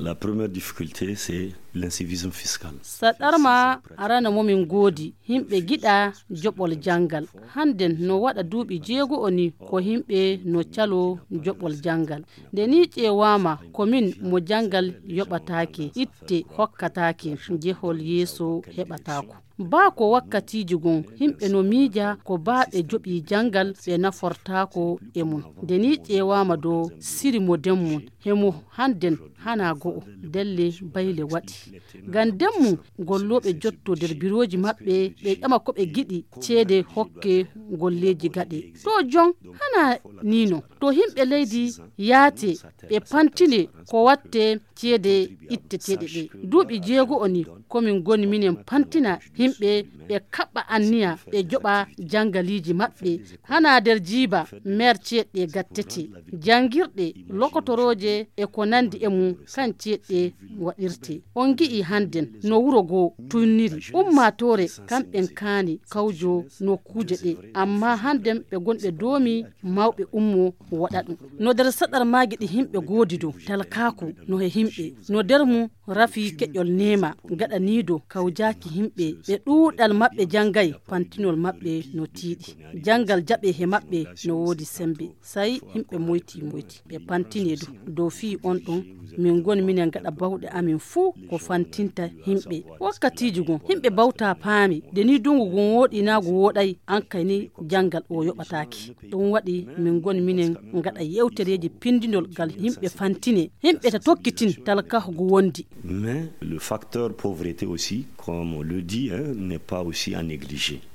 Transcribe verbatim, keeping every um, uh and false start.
La première difficulté, c'est l'incivisme fiscal. Saɗarma arana momin ngoodi, yimɓe giɗa joɓol janngal. Hannden no waɗa duuɓi jeego o ni ko yimɓe no caloo joɓol janngal. Nde ni ƴeewaama, komin mo janngal yoɓataake, itte hokkataake, jehol yeeso heɓataako. Baa ko wakkatiiji gon, yimɓe no miija ko baa ɓe joɓii janngal ɓe nafortaako e mun. Nde ni ƴeewaama do siri mo den mun, hemo hannden hanaa go'o, delle bayle waɗi. Ngam den mun, gollooɓe jotto der birooji maɓɓe, ɓe ƴama ko ɓe giɗi, ceede hokke golleeji gaɗe. To jon, hanaa nii non. To yimɓe leydi yaate, ɓe pantine ko watte ceede itteteeɗe ɗe. Duuɓi jeego o ni, komin ngoni minen pantina yimɓe, ɓe kaɓɓa anniya, ɓe joɓa janngaliiji maɓɓe. Hanaa der jiiba, meer ceeɗɗe gattete. Janngirɗe, lokotorooje e ko nanndi e mum, kan ceeɗɗe waɗirte. On gi'i hannden no wuro goo tunniri. Ummaatoore kamɓen kaani kawjo nokkuuje ɗe. Amma hannden ɓe gonɓe doomi mawɓe ummo waɗa ɗum. No der saɗarmaaji ɗi yimɓe goodi do, talkaaku no he yimɓe. No der mum rafi keƴol neema gaɗaniido kawjaaki yimɓe. Ɓe ɗuuɗal maɓɓe janngay, pantinol maɓɓe no tiiɗi. Janngal jaɓe he maɓɓe no woodi semmbe. Say yimɓe moyti moyti. Ɓe pantinee du. Dow fii on ɗon, min ngoni minen gaɗa bawɗe amin fuu ko fantinta yimɓe. Wakkatiiji gon, yimɓe bawta paami, nde ni dungu gon wooɗi naa gu wooɗay, an kay ni janngal o yoɓataake. Ɗum waɗi min ngoni minen gaɗa yewtereeji pindinol ngal yimɓe fantine. Yimɓe ta tokkitin talkaaku gu wondi. Mais le facteur pauvreté aussi, comme on le dit, hein, n'est pas aussi à négliger.